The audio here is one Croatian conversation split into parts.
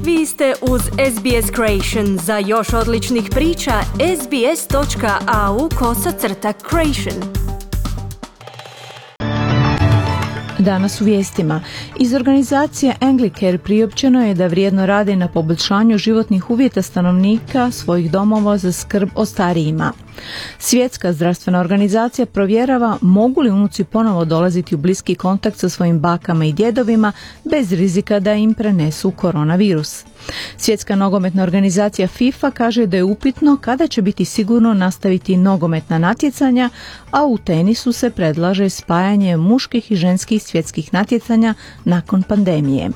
Vi ste uz SBS Creation. Za još odličnih priča, sbs.au/creation. Danas u vijestima. Iz organizacije Anglicare priopćeno je da vrijedno rade na poboljšanju životnih uvjeta stanovnika svojih domova za skrb o starijima. Svjetska zdravstvena organizacija provjerava mogu li unuci ponovo dolaziti u bliski kontakt sa svojim bakama i djedovima bez rizika da im prenesu koronavirus. Svjetska nogometna organizacija FIFA kaže da je upitno kada će biti sigurno nastaviti nogometna natjecanja, a u tenisu se predlaže spajanje muških i ženskih svjetskih natjecanja nakon pandemije.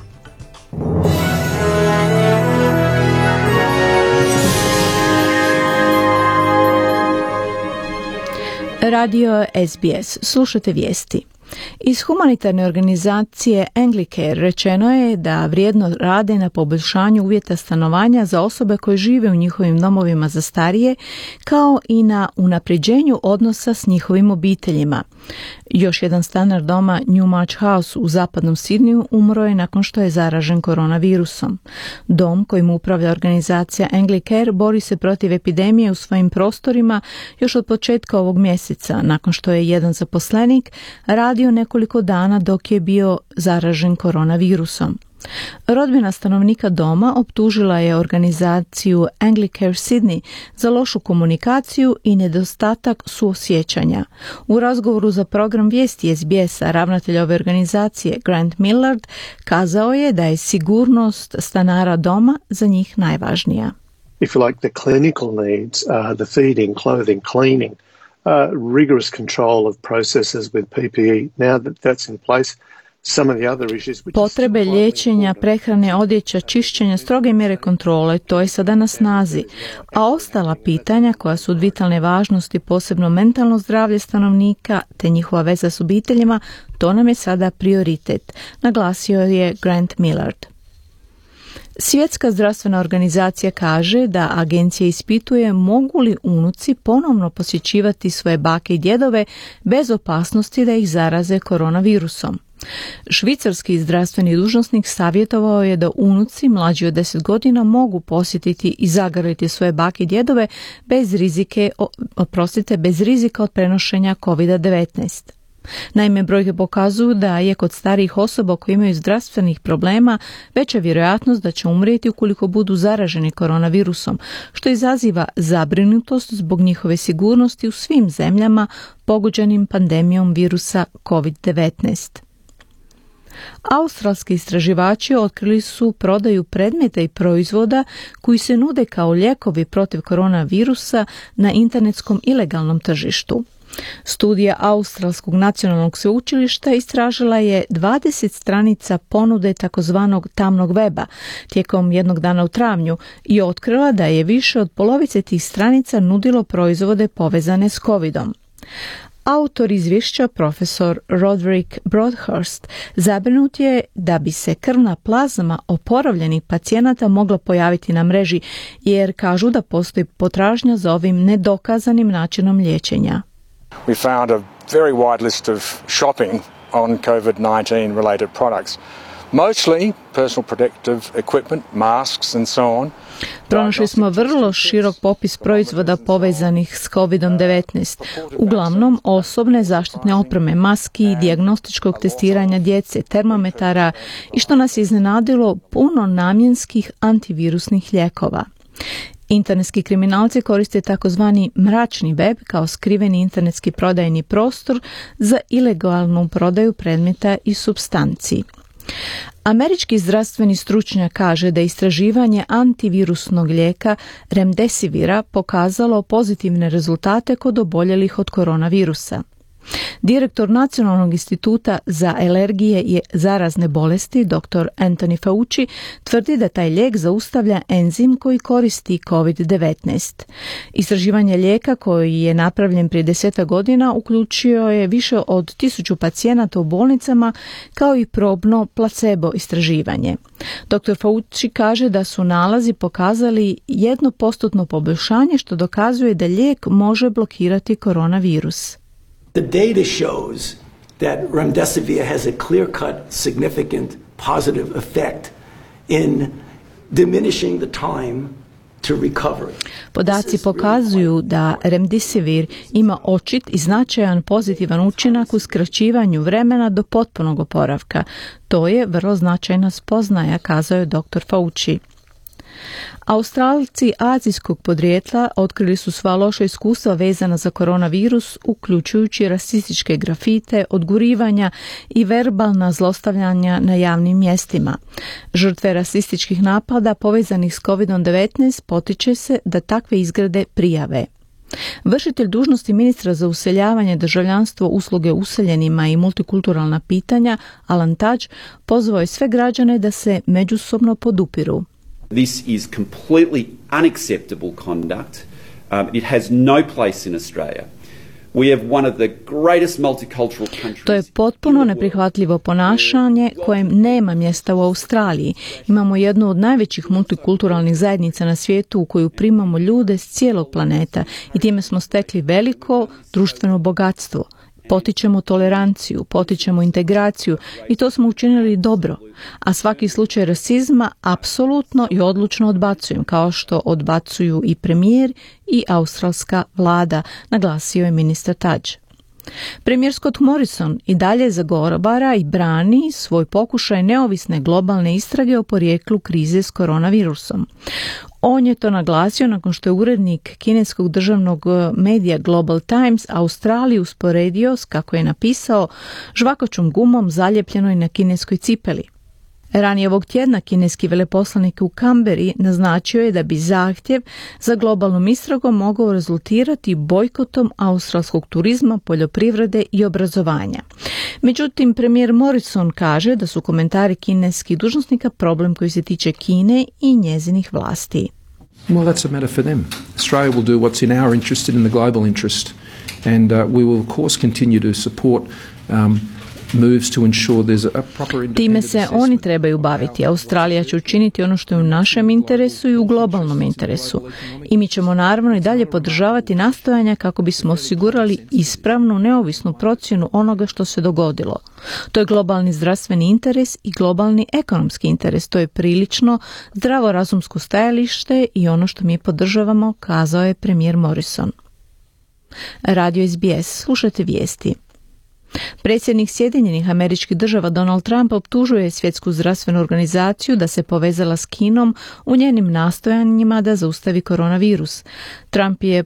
Radio SBS. Slušate vijesti. Iz humanitarne organizacije Anglicare rečeno je da vrijedno rade na poboljšanju uvjeta stanovanja za osobe koje žive u njihovim domovima za starije, kao i na unapređenju odnosa s njihovim obiteljima. Još jedan stanar doma Newmarch House u zapadnom Sidneyu umro je nakon što je zaražen koronavirusom. Dom kojim upravlja organizacija Anglicare bori se protiv epidemije u svojim prostorima još od početka ovog mjeseca, nakon što je jedan zaposlenik radio nekoliko dana dok je bio zaražen koronavirusom. Rodbina stanovnika doma optužila je organizaciju Anglicare Sydney za lošu komunikaciju i nedostatak suosjećanja. U razgovoru za program vijesti SBS-a ravnatelj ove organizacije Grant Millard kazao je da je sigurnost stanara doma za njih najvažnija. If you like, the clinical needs, the feeding, clothing, cleaning, rigorous control of processes with PPE, now that that's in place, potrebe liječenja, prehrane, odjeća, čišćenja, stroge mjere kontrole, to je sada na snazi. A ostala pitanja koja su od vitalne važnosti, posebno mentalno zdravlje stanovnika te njihova veza s obiteljima, to nam je sada prioritet, naglasio je Grant Millard. Svjetska zdravstvena organizacija kaže da agencija ispituje mogu li unuci ponovno posjećivati svoje bake i djedove bez opasnosti da ih zaraze koronavirusom. Švicarski zdravstveni dužnosnik savjetovao je da unuci mlađi od 10 godina mogu posjetiti i zagrliti svoje bake i djedove bez rizika od prenošenja COVID-19. Naime, brojke pokazuju da je kod starijih osoba koji imaju zdravstvenih problema veća vjerojatnost da će umrijeti ukoliko budu zaraženi koronavirusom, što izaziva zabrinutost zbog njihove sigurnosti u svim zemljama pogođenim pandemijom virusa COVID-19. Australski istraživači otkrili su prodaju predmeta i proizvoda koji se nude kao lijekovi protiv koronavirusa na internetskom ilegalnom tržištu. Studija Australskog nacionalnog sveučilišta istražila je 20 stranica ponude takozvanog tamnog weba tijekom jednog dana u travnju i otkrila da je više od polovice tih stranica nudilo proizvode povezane s covidom. Autor izvješća, profesor Roderick Broadhurst, zabrinut je da bi se krvna plazma oporavljenih pacijenata mogla pojaviti na mreži, jer kažu da postoji potražnja za ovim nedokazanim načinom liječenja. We found a very wide list of shopping on COVID-19 related products. Mostly personal protective equipment, masks and so on. Pronašli smo vrlo širok popis proizvoda povezanih s COVID-19, uglavnom osobne zaštitne opreme, maski, dijagnostičkog testiranja djece, termometara i što nas je iznenadilo puno namjenskih antivirusnih lijekova. Internetski kriminalci koriste takozvani mračni web kao skriveni internetski prodajni prostor za ilegalnu prodaju predmeta i supstanci. Američki zdravstveni stručnjak kaže da istraživanje antivirusnog lijeka Remdesivira pokazalo pozitivne rezultate kod oboljelih od koronavirusa. Direktor Nacionalnog instituta za alergije i zarazne bolesti, dr. Anthony Fauci, tvrdi da taj lijek zaustavlja enzim koji koristi COVID-19. Istraživanje lijeka koji je napravljen prije 10 godina uključio je više od 1000 pacijenata u bolnicama kao i probno placebo istraživanje. Dr. Fauci kaže da su nalazi pokazali 1% poboljšanje što dokazuje da lijek može blokirati koronavirus. The data shows that remdesivir has a clear-cut, significant, positive effect in diminishing the time to recovery. Podaci pokazuju da remdesivir ima očit i značajan pozitivan učinak u skraćivanju vremena do potpunog oporavka. To je vrlo značajna spoznaja, kazao je dr. Fauci. Australci azijskog podrijetla otkrili su sva loša iskustva vezana za koronavirus, uključujući rasističke grafite, odgurivanja i verbalna zlostavljanja na javnim mjestima. Žrtve rasističkih napada povezanih s COVID-19 potiče se da takve izgrede prijave. Vršitelj dužnosti ministra za useljavanje, državljanstvo, usluge useljenima i multikulturalna pitanja, Alan Tudge, pozvao je sve građane da se međusobno podupiru. This is completely unacceptable conduct. It has no place in Australia. We have one of the greatest multicultural countries. To je potpuno neprihvatljivo ponašanje kojem nema mjesta u Australiji. Imamo jednu od najvećih multikulturalnih zajednica na svijetu u koju primamo ljude s cijelog planeta i time smo stekli veliko društveno bogatstvo. Potičemo toleranciju, potičemo integraciju i to smo učinili dobro, a svaki slučaj rasizma apsolutno i odlučno odbacujem, kao što odbacuju i premijer i australska vlada, naglasio je ministar Tudge. Premijer Scott Morrison i dalje zagovara i brani svoj pokušaj neovisne globalne istrage o porijeklu krize s koronavirusom. On je to naglasio nakon što je urednik kineskog državnog medija Global Times Australiju usporedio s, kako je napisao, žvakačom gumom zaljepljenoj na kineskoj cipeli. Ranije ovog tjedna kineski veleposlanik u Kamberi naznačio je da bi zahtjev za globalnom istragom mogao rezultirati bojkotom australskog turizma, poljoprivrede i obrazovanja. Međutim, premijer Morrison kaže da su komentari kineskih dužnosnika problem koji se tiče Kine i njezinih vlasti. Well, that's a matter for them. Australia will do what's in our interest and in the global interest, and we will of course continue to support moves to ensure there's a proper independent Time se oni trebaju baviti. Australija će učiniti ono što je u našem interesu i u globalnom interesu. I mi ćemo naravno i dalje podržavati nastojanja kako bismo osigurali ispravnu, neovisnu procjenu onoga što se dogodilo. To je globalni zdravstveni interes i globalni ekonomski interes. To je prilično zdravorazumsko stajalište i ono što mi podržavamo, kazao je premijer Morrison. Radio SBS, slušajte vijesti. Predsjednik Sjedinjenih Američkih Država Donald Trump optužuje Svjetsku zdravstvenu organizaciju da se povezala s Kinom u njenim nastojanjima da zaustavi koronavirus. Trump je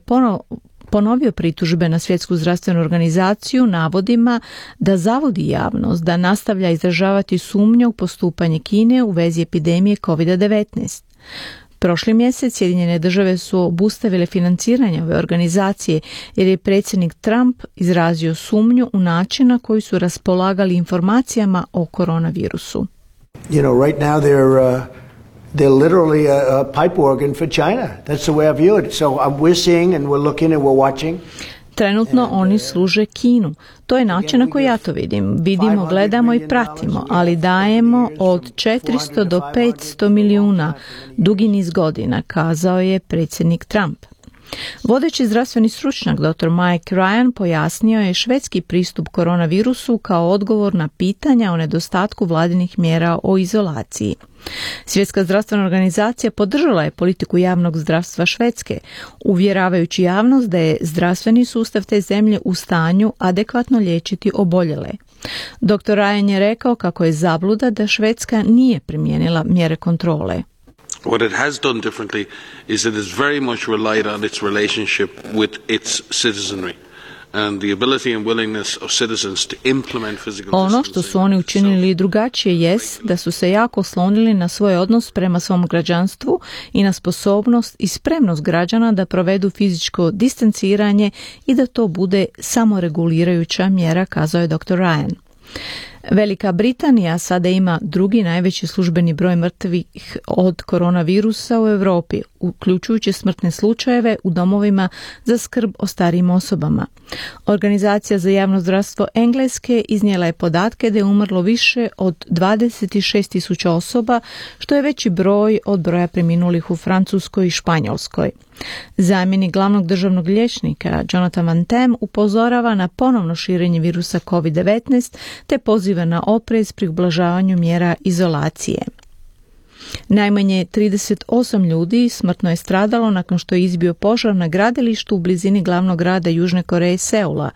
ponovio pritužbe na Svjetsku zdravstvenu organizaciju navodima da zavodi javnost da nastavlja izražavati sumnju u postupanje Kine u vezi epidemije COVID-19. Prošli mjesec Sjedinjene Države su obustavile financiranje ove organizacije jer je predsjednik Trump izrazio sumnju u način na koji su raspolagali informacijama o koronavirusu. You know, right now they're literally a pipe organ for China. That's the way I view it. So we're seeing and we're looking and we're watching. Trenutno oni služe Kinu. To je način na koji ja to vidim. Vidimo, gledamo i pratimo, ali dajemo od 400 do 500 milijuna dugi niz godina, kazao je predsjednik Trump. Vodeći zdravstveni stručnjak dr. Mike Ryan pojasnio je švedski pristup koronavirusu kao odgovor na pitanja o nedostatku vladinih mjera o izolaciji. Svjetska zdravstvena organizacija podržala je politiku javnog zdravstva Švedske, uvjeravajući javnost da je zdravstveni sustav te zemlje u stanju adekvatno liječiti oboljele. Dr. Ryan je rekao kako je zabluda da Švedska nije primijenila mjere kontrole. What it has done differently is it has very much relied on its relationship with its citizenry and the ability and willingness of citizens to implement physical distancing. Ono što su oni učinili drugačije jest da su se jako oslonili na svoj odnos prema svom građanstvu i na sposobnost i spremnost građana da provedu fizičko distanciranje i da to bude samoregulirajuća mjera, kazao je dr. Ryan. Velika Britanija sada ima drugi najveći službeni broj mrtvih od koronavirusa u Europi, uključujući smrtne slučajeve u domovima za skrb o starijim osobama. Organizacija za javno zdravstvo Engleske iznijela je podatke da je umrlo više od 26.000 osoba, što je veći broj od broja preminulih u Francuskoj i Španjolskoj. Zamjenik glavnog državnog liječnika Jonathan Van Tam upozorava na ponovno širenje virusa COVID-19 te poziva na oprez pri ublažavanju mjera izolacije. Najmanje 38 ljudi smrtno je stradalo nakon što je izbio požar na gradilištu u blizini glavnog grada Južne Koreje Seula.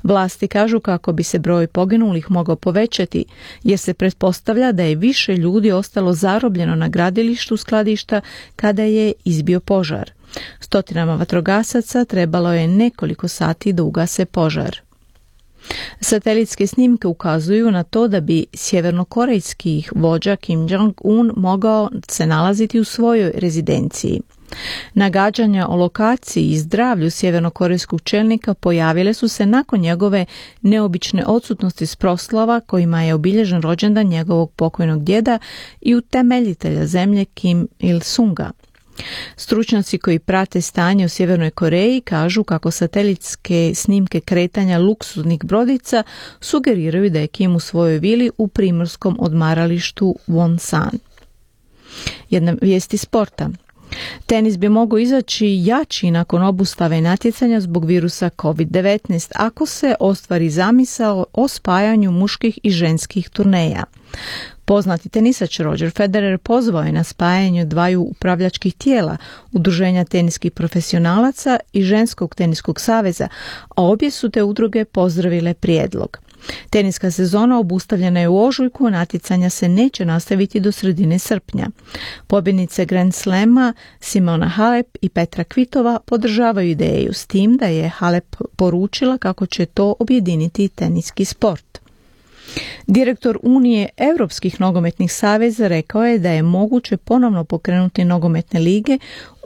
Vlasti kažu kako bi se broj poginulih mogao povećati, jer se pretpostavlja da je više ljudi ostalo zarobljeno na gradilištu skladišta kada je izbio požar. Stotinama vatrogasaca trebalo je nekoliko sati da ugase požar. Satelitske snimke ukazuju na to da bi sjevernokorejski vođa Kim Jong-un mogao se nalaziti u svojoj rezidenciji. Nagađanja o lokaciji i zdravlju sjevernokorejskog čelnika pojavile su se nakon njegove neobične odsutnosti s proslava kojima je obilježen rođendan njegovog pokojnog djeda i utemeljitelja zemlje Kim Il-sunga. Stručnjaci koji prate stanje u Sjevernoj Koreji kažu kako satelitske snimke kretanja luksuznih brodica sugeriraju da je Kim u svojoj vili u primorskom odmaralištu Wonsan. Jedna vijest iz sporta. Tenis bi mogao izaći jači nakon obustave natjecanja zbog virusa COVID-19 ako se ostvari zamisao o spajanju muških i ženskih turneja. Poznati tenisač Roger Federer pozvao je na spajanje dvaju upravljačkih tijela, Udruženja teniskih profesionalaca i Ženskog teniskog saveza, a obje su te udruge pozdravile prijedlog. Teniska sezona obustavljena je u ožujku, natjecanja se neće nastaviti do sredine srpnja. Pobjednice Grand Slama Simona Halep i Petra Kvitova podržavaju ideju, s tim da je Halep poručila kako će to objediniti teniski sport. Direktor Unije Europskih nogometnih saveza rekao je da je moguće ponovno pokrenuti nogometne lige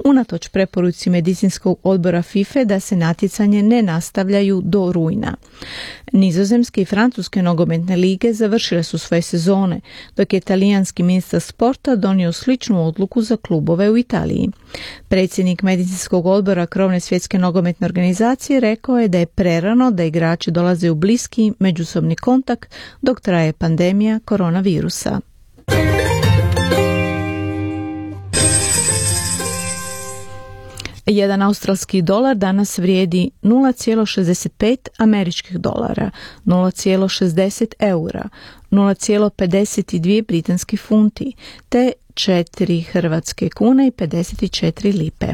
unatoč preporuci medicinskog odbora FIFA da se natjecanje ne nastavljaju do rujna. Nizozemske i francuske nogometne lige završile su svoje sezone, dok je talijanski ministar sporta donio sličnu odluku za klubove u Italiji. Predsjednik medicinskog odbora krovne svjetske nogometne organizacije rekao je da je prerano da igrači dolaze u bliski međusobni kontakt dok traje pandemija koronavirusa. Jedan australski dolar danas vrijedi 0,65 američkih dolara, 0,60 eura, 0,52 britanski funti, te 4 hrvatske kune i 54 lipe.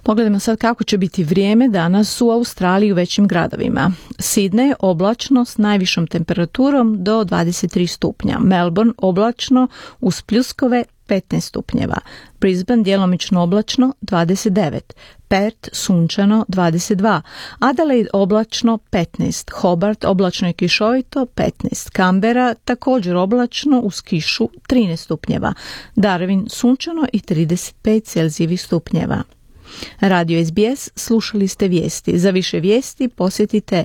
Pogledajmo sad kako će biti vrijeme danas u Australiji u većim gradovima. Sydney oblačno s najvišom temperaturom do 23 stupnja. Melbourne oblačno uz pljuskove 15 stupnjeva. Brisbane djelomično oblačno 29. Perth sunčano 22. Adelaide oblačno 15. Hobart oblačno i kišovito 15. Canberra također oblačno uz kišu 13 stupnjeva. Darwin sunčano i 35 celzijevih stupnjeva. Radio SBS, slušali ste vijesti. Za više vijesti posjetite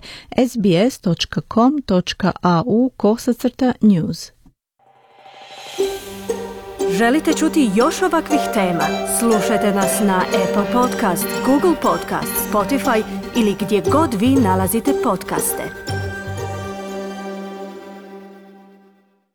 sbs.com.au/news. Želite čuti još ovakvih tema? Slušajte nas na Apple Podcast, Google Podcast, Spotify ili gdje god vi nalazite podcaste.